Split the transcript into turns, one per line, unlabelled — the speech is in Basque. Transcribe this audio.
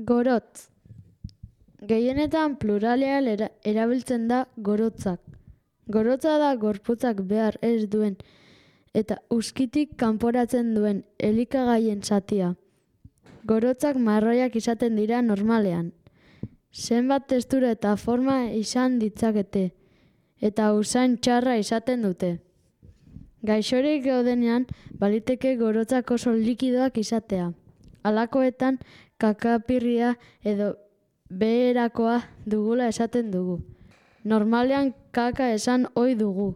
Gorotz. Gehienetan pluralean erabiltzen da gorotzak. Gorotza da gorputzak behar ez duen eta uzkitik kanporatzen duen elikagaien zatia. Gorotzak marroiak izaten dira normalean. Zenbat testura eta forma izan ditzakete eta usain txarra izaten dute. Gaixorik gaudenean baliteke gorotzak oso likidoak izatea. Halakoetan kakapirria edo beherakoa dugula esaten dugu. Normalean kaka esan ohi dugu.